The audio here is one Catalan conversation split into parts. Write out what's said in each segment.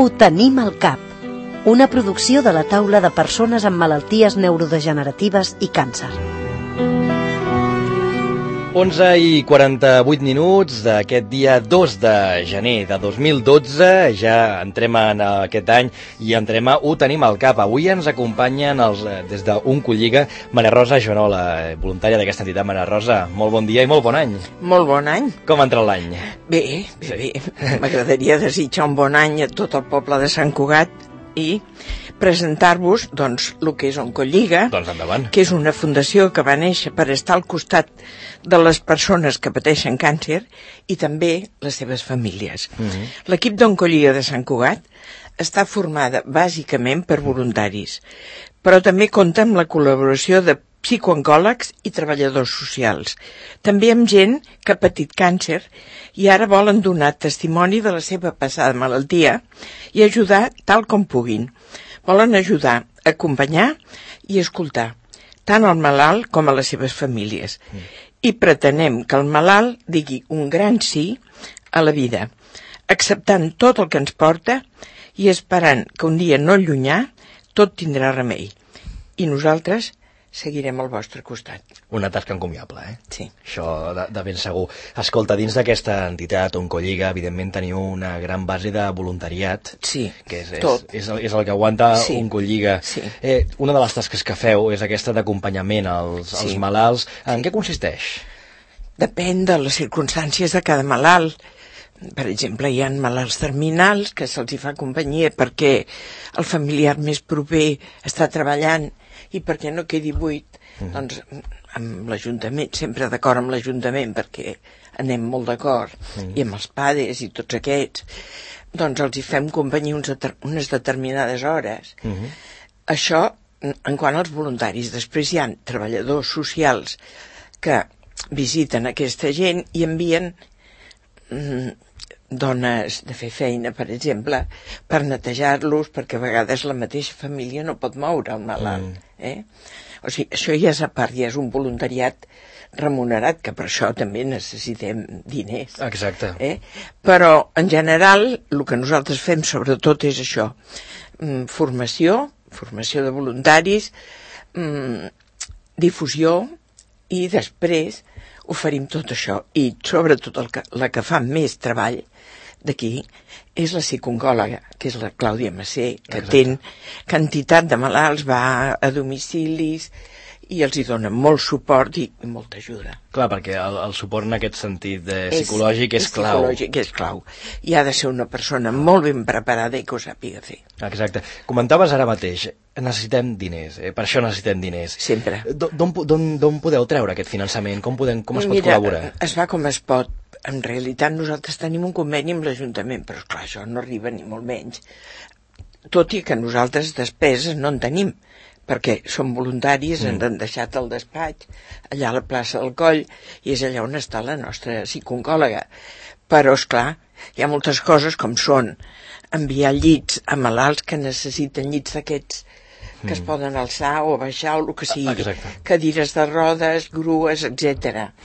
Ho tenim al cap, una producció de la taula de persones amb malalties neurodegeneratives i càncer. 11:48 d'aquest dia 2 de gener de 2012. Ja entrem en aquest any i entrem a Ho tenim al cap. Avui ens acompanyen des d'Oncolliga Maria Rosa Joanola, voluntària d'aquesta entitat. Maria Rosa, molt bon dia i molt bon any. Molt bon any. Com ha entrat l'any? Bé. M'agradaria desitjar un bon any a tot el poble de Sant Cugat i presentar-vos, doncs, el que és Oncolliga, Doncs endavant. que és una fundació que va néixer per estar al costat de les persones que pateixen càncer i també les seves famílies. L'equip d'Oncolliga de Sant Cugat està formada bàsicament per voluntaris, però també compta amb la col·laboració de psicooncòlegs i treballadors socials, també amb gent que ha patit càncer i ara volen donar testimoni de la seva passada malaltia i ajudar tal com puguin. Volen ajudar, acompanyar i escoltar, tant al malalt com a les seves famílies. I pretenem que el malalt digui un gran sí a la vida, acceptant tot el que ens porta i esperant que un dia no llunyà tot tindrà remei. I nosaltres seguirem al vostre costat. Una tasca encomiable, eh? Sí. Això de ben segur. Escolta, dins d'aquesta entitat, Oncolliga, evidentment teniu una gran base de voluntariat. Sí, que és tot. el que aguanta Sí. Oncolliga. Sí. Una de les tasques que feu és aquesta d'acompanyament als malalts. En què consisteix? Depèn de les circumstàncies de cada malalt. Per exemple, hi ha malalts terminals que se'ls hi fa companyia perquè el familiar més proper està treballant i perquè no quedi buit, doncs amb l'Ajuntament, sempre d'acord amb l'Ajuntament perquè anem molt d'acord, i amb els PADES i tots aquests, doncs els hi fem companyia unes determinades hores. Això en quant als voluntaris. Després hi ha treballadors socials que visiten aquesta gent i envien dones de fer feina, per exemple, per netejar-los, perquè a vegades la mateixa família no pot moure el malalt. O sigui, això ja és a part, ja és un voluntariat remunerat, que per això també necessitem diners. Exacte. Però, en general, el que nosaltres fem sobretot és això, formació de voluntaris, difusió, i després oferim tot això. I sobretot la que fa més treball d'aquí és la psicooncòloga, que és la Clàudia Massé, que té quantitat de malalts, va a domicilis i els hi dona molt suport i molta ajuda. Clar, perquè el suport en aquest sentit psicològic és clau. Psicològic és clau. I ha de ser una persona molt ben preparada i que ho sàpiga fer. Exacte. Comentaves ara mateix, necessitem diners, per això necessitem diners. Sempre. D'on podeu treure aquest finançament? Com es pot col·laborar? Mira, es fa com es pot. En realitat nosaltres tenim un conveni amb l'Ajuntament, però esclar, això no arriba ni molt menys. Tot i que nosaltres despeses no en tenim, perquè som voluntaris, ens han deixat el despatx allà a la plaça del Coll i és allà on està la nostra psicooncòloga. Però, esclar, hi ha moltes coses com són enviar llits a malalts que necessiten llits d'aquests que es poden alçar o baixar o el que sigui, cadires de rodes, grues, etc.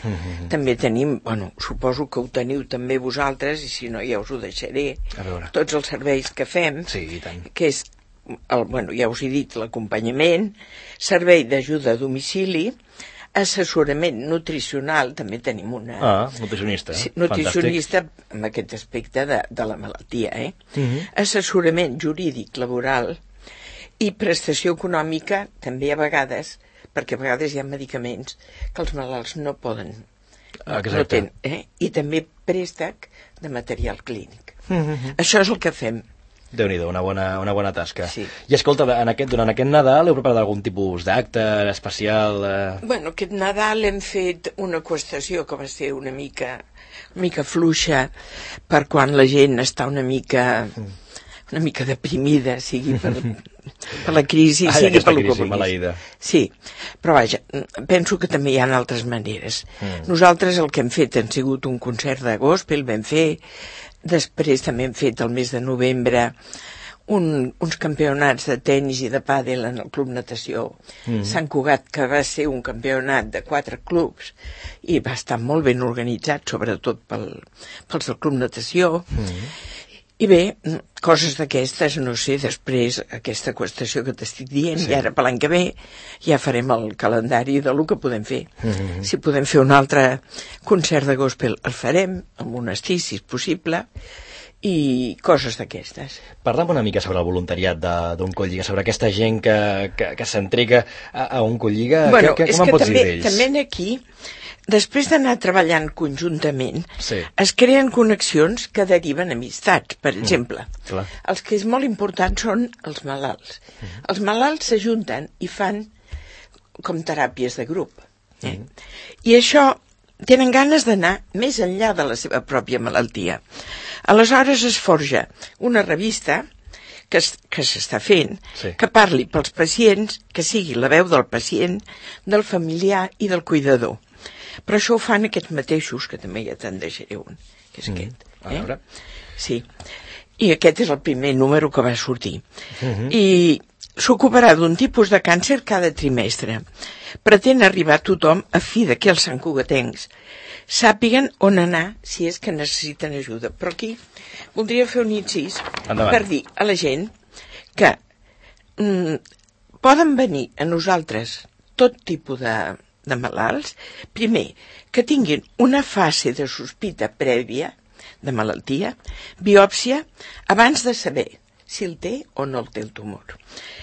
També tenim, suposo que ho teniu també vosaltres, i si no ja us ho deixaré, tots els serveis que fem, que és, ja us he dit, l'acompanyament, servei d'ajuda a domicili, assessorament nutricional, també tenim una... nutricionista. Nutricionista amb aquest aspecte de la malaltia, assessorament jurídic laboral i prestació econòmica també a vegades, perquè a vegades hi ha medicaments que els malalts no poden, no tenen, i també préstec de material clínic. Això és el que fem. Déu-n'hi-do, una bona tasca. Sí. I escolta, durant aquest Nadal heu preparat algun tipus d'acte especial? Aquest Nadal hem fet una qüestió que va ser una mica fluixa per quan la gent està una mica deprimida, sigui per la crisi, sigui per lo que vulguis. Sí, però vaja, penso que també hi ha altres maneres. Nosaltres el que hem fet han sigut un concert de gospel, vam fer, després també hem fet el mes de novembre uns campionats de tennis i de pàdel en el Club Natació Sant Cugat, que va ser un campionat de 4 clubs i va estar molt ben organitzat, sobretot pels del Club Natació. I bé, coses d'aquestes, no sé, després aquesta qüestió que t'estic dient, i ara per l'any que ve ja farem el calendari de lo que podem fer. Si podem fer un altre concert de gospel, el farem, amb monestir, si és possible, i coses d'aquestes. Parla'm una mica sobre el voluntariat d'Oncolliga, sobre aquesta gent que s'entrega a Oncolliga. Bueno, Com és em que pots dir d'ells? també aquí, després d'anar treballant conjuntament, Sí. es creen connexions que deriven amistats. Per exemple, clar. els que és molt important són els malalts. Els malalts s'ajunten i fan com teràpies de grup. I això tenen ganes d'anar més enllà de la seva pròpia malaltia. Aleshores es forja una revista que s'està fent, Sí. que parli pels pacients, que sigui la veu del pacient, del familiar i del cuidador. Però això ho fan aquests mateixos, que també ja te'n deixaré un, que és aquest. A veure. Sí. I aquest és el primer número que va sortir. I s'ocuparà d'un tipus de càncer cada trimestre. Pretén arribar a tothom a fi de que els santcugatencs sàpiguen on anar si és que necessiten ajuda. Però aquí voldria fer un incís per dir a la gent que poden venir a nosaltres tot tipus de malalts, primer, que tinguin una fase de sospita prèvia de malaltia, biòpsia, abans de saber si el té o no el té el tumor.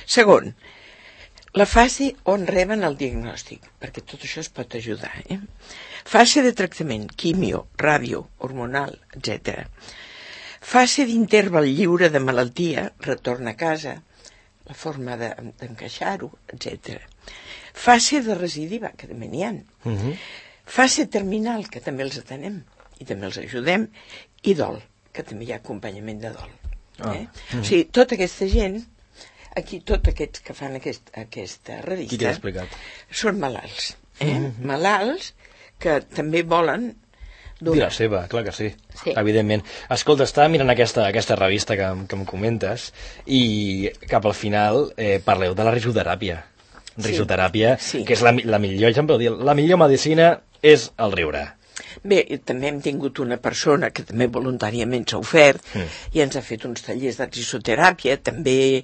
Segon, la fase on reben el diagnòstic, perquè tot això es pot ajudar. Fase de tractament, quimio, ràdio, hormonal, etc. Fase d'interval lliure de malaltia, retorn a casa, la forma d'encaixar-ho, etc. Fase de recidiva, que també n'hi ha. Fase terminal, que també els atenem i també els ajudem, i dol, que també hi ha acompanyament de dol. O sigui, tota aquesta gent, aquí tots aquests que fan aquesta revista, Qui t'ha explicat? són malalts. Malalts que també volen Dir la seva, clar que sí, Sí. evidentment. Escolta, estava mirant aquesta revista que em comentes i cap al final parleu de la risoteràpia. Risoteràpia, Sí. que és la millor, ja em podeu dir, la millor medicina és el riure. Bé, també hem tingut una persona que també voluntàriament s'ha ofert i ens ha fet uns tallers de risoteràpia. També,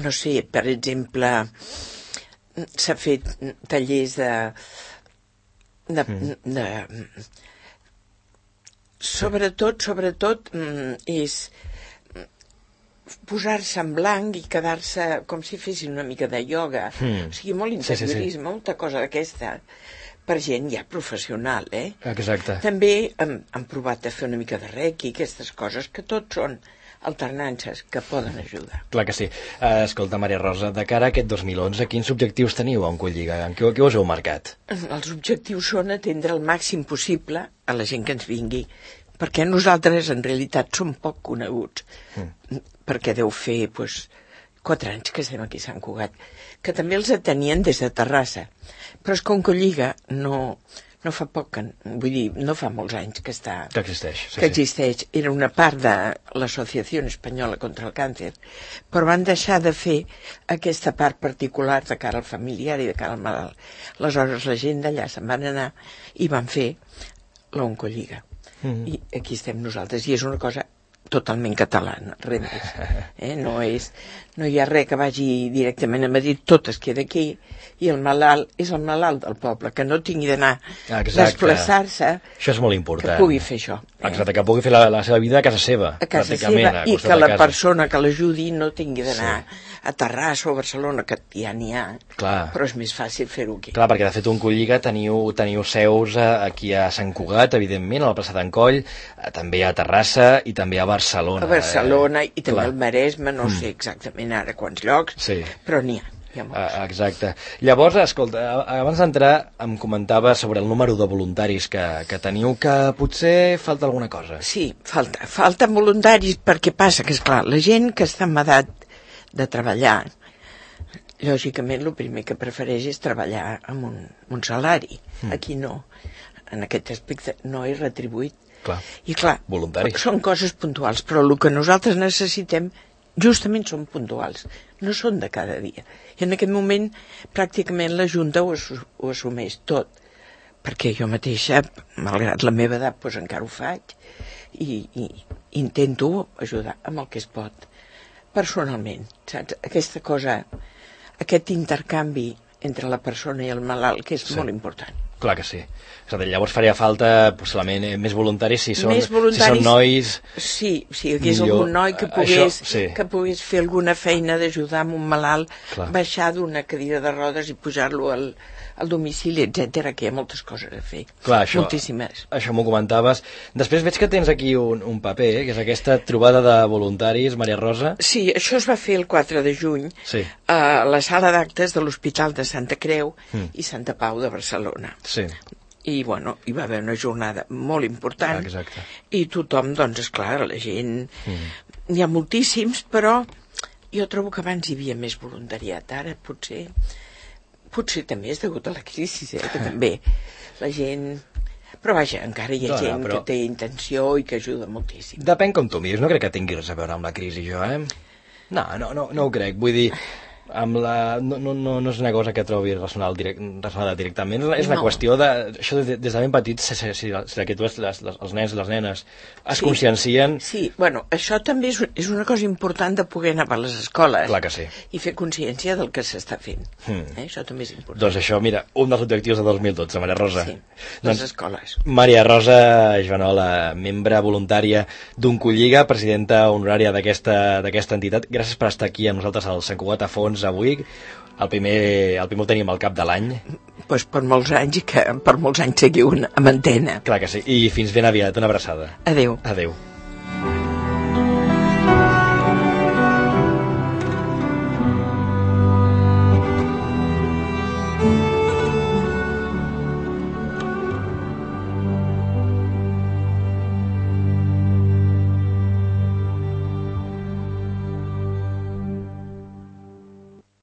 no sé, per exemple, s'ha fet tallers sobretot és posar-se en blanc i quedar-se com si fessin una mica de ioga. O sigui, molt interiorisme, molta cosa d'aquesta per gent ja professional, Exacte. També han provat de fer una mica de reiki, aquestes coses, que tot són alternances que poden ajudar. Clar que sí. Escolta, Maria Rosa, de cara a aquest 2011, quins objectius teniu a Oncolliga? En què us heu marcat? Els objectius són atendre el màxim possible a la gent que ens vingui, perquè nosaltres en realitat som poc coneguts, perquè deu fer 4 anys que estem aquí a Sant Cugat, que també els atenien des de Terrassa, però és que Oncolliga no fa poc, vull dir, no fa molts anys que està... Que existeix. Que existeix. Era una part de l'Associació Espanyola contra el Càncer, però van deixar de fer aquesta part particular de cara al familiar i de cara al malalt. Aleshores la gent d'allà se'n van anar i van fer l'Oncolliga. I aquí estem nosaltres, i és una cosa totalment catalana, res més. No hi ha res que vagi directament a Madrid, tot es queda aquí, i el malalt és el malalt del poble, que no tingui d'anar a desplaçar-se, això és molt important. que pugui fer això. Exacte, que pugui fer la seva vida a casa seva. A casa seva, i que la persona que l'ajudi no tingui d'anar a Terrassa o a Barcelona, que ja n'hi ha, però és més fàcil fer-ho aquí. Clar, perquè de fet Oncolliga teniu seus aquí a Sant Cugat, evidentment, a la plaça d'en Coll, també a Terrassa i també a Barcelona. A Barcelona i també al Maresme, no sé exactament ara quants llocs, però n'hi ha. Exacte. Llavors, escolta, abans d'entrar em comentava sobre el número de voluntaris que teniu, que potser falta alguna cosa. Sí, falten voluntaris perquè passa que, esclar, la gent que està en edat de treballar, lògicament el primer que prefereix és treballar amb un salari. Aquí no, en aquest aspecte no és retribuït. I clar, són coses puntuals, però el que nosaltres necessitem justament són puntuals, no són de cada dia. I en aquest moment pràcticament la Junta ho assumeix tot, perquè jo mateixa, malgrat la meva edat, doncs encara ho faig, i intento ajudar amb el que es pot personalment, saps? Aquesta cosa, aquest intercanvi entre la persona i el malalt, que és molt important. Clar que sí. És a dir, llavors faria falta possiblement més voluntaris si són nois... Sí, si hi hagués algun noi que pogués fer alguna feina d'ajudar amb un malalt, baixar d'una cadira de rodes i pujar-lo al domicili, etc, que hi ha moltes coses a fer. Clar, moltíssimes. Això m'ho comentaves. Després veig que tens aquí un paper, que és aquesta trobada de voluntaris, Maria Rosa. Sí, això es va fer el 4 de juny a la sala d'actes de l'Hospital de Santa Creu i Santa Pau de Barcelona. Sí. I, bueno, hi va haver una jornada molt important. Exacte. I tothom, doncs, esclar, la gent... N'hi ha moltíssims, però jo trobo que abans hi havia més voluntariat. Ara, potser també és degut a la crisi, que també la gent... Però vaja, encara hi ha gent que té intenció i que ajuda moltíssim. Depèn com tu miris, no crec que tingui res a veure amb la crisi, jo, No ho crec, vull dir... no és una cosa que trobi relacionada directament, és una qüestió de... Això des de ben petits, si que tu, els nens i les nenes es consciencien... Sí, bueno, això també és una cosa important de poder anar per les escoles. Clar que sí. I fer consciència del que s'està fent. Això també és important. Doncs això, mira, un dels objectius de 2012, Maria Rosa. Sí, les escoles. Maria Rosa Joanola, membre voluntària d'Oncolliga, presidenta honorària d'aquesta entitat. Gràcies per estar aquí amb nosaltres al Sant Cugat a Fons avui. El primer ho tenim al cap de l'any. Doncs per molts anys i que per molts anys seguiu amb antena. Clar que sí. I fins ben aviat. Una abraçada. Adéu. Adéu.